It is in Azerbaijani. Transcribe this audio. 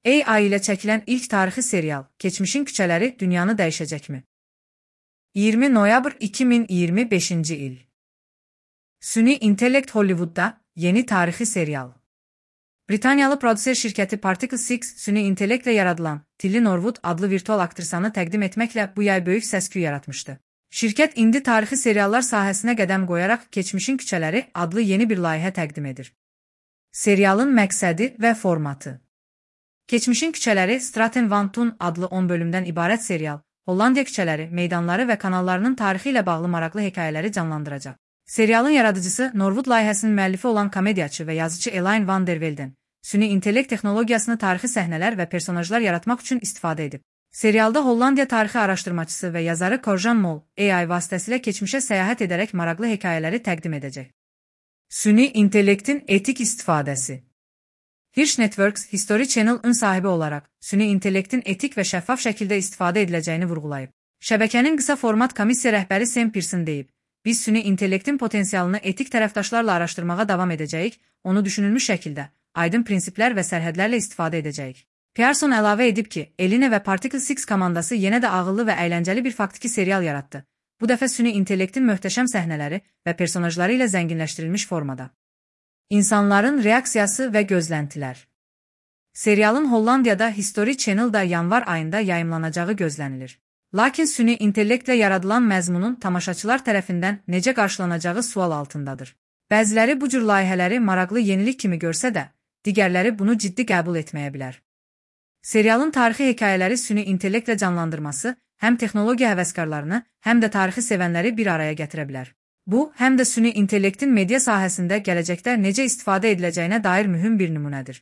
AI ilə çəkilən ilk tarixi serial Keçmişin küçələri dünyanı dəyişəcəkmi? 20 noyabr 2025-ci il. Süni intellekt Hollywoodda yeni tarixi serial. Britaniyalı prodüser şirkəti Particle 6 süni intellektlə yaradılan Tilly Norwood adlı virtual aktrisanı təqdim etməklə bu yay böyük səs-küy yaratmışdı. Şirkət indi tarixi seriallar sahəsinə qədəm qoyaraq Keçmişin küçələri adlı yeni bir layihə təqdim edir. Serialın məqsədi və formatı. Keçmişin küçələri Straten van Toen adlı 10 bölümdən ibarət serial, Hollandiya küçələri, meydanları və kanallarının tarixi ilə bağlı maraqlı hekayələri canlandıracaq. Serialın yaradıcısı Norwood layihəsinin müəllifi olan komediyaçı və yazıcı Elaine van der Velden, süni intellekt texnologiyasını tarixi səhnələr və personajlar yaratmaq üçün istifadə edib. Serialda Hollandiya tarixi araşdırmaçısı və yazarı Korjan Mol, AI vasitəsilə keçmişə səyahət edərək maraqlı hekayələri təqdim edəcək. Süni intellektin etik istifadəsi. Hirsch Networks, History Channel-ın sahibi olaraq, süni intellektin etik və şəffaf şəkildə istifadə ediləcəyini vurğulayıb. Şəbəkənin qısa format komissiya rəhbəri Sam Pearson deyib, biz süni intellektin potensialını etik tərəfdaşlarla araşdırmağa davam edəcəyik, onu düşünülmüş şəkildə, aydın prinsiplər və sərhədlərlə istifadə edəcəyik. Pearson əlavə edib ki, Eline və Particle 6 komandası yenə də ağıllı və əyləncəli bir faktiki serial yaratdı. Bu dəfə süni intellektin möhtəşəm səhnələri və personajları ilə zənginləşdirilmiş formada. İnsanların reaksiyası və gözləntilər. Serialın Hollandiyada History Channel-da yanvar ayında yayımlanacağı gözlənilir. Lakin süni intellektlə yaradılan məzmunun tamaşaçılar tərəfindən necə qarşılanacağı sual altındadır. Bəziləri bu cür layihələri maraqlı yenilik kimi görsə də, digərləri bunu ciddi qəbul etməyə bilər. Serialın tarixi hekayələri süni intellektlə canlandırması həm texnologiya həvəskarlarını, həm də tarixi sevənləri bir araya gətirə bilər. Bu, həm də süni intellektin media sahəsində gələcəkdə necə istifadə ediləcəyinə dair mühüm bir nümunədir.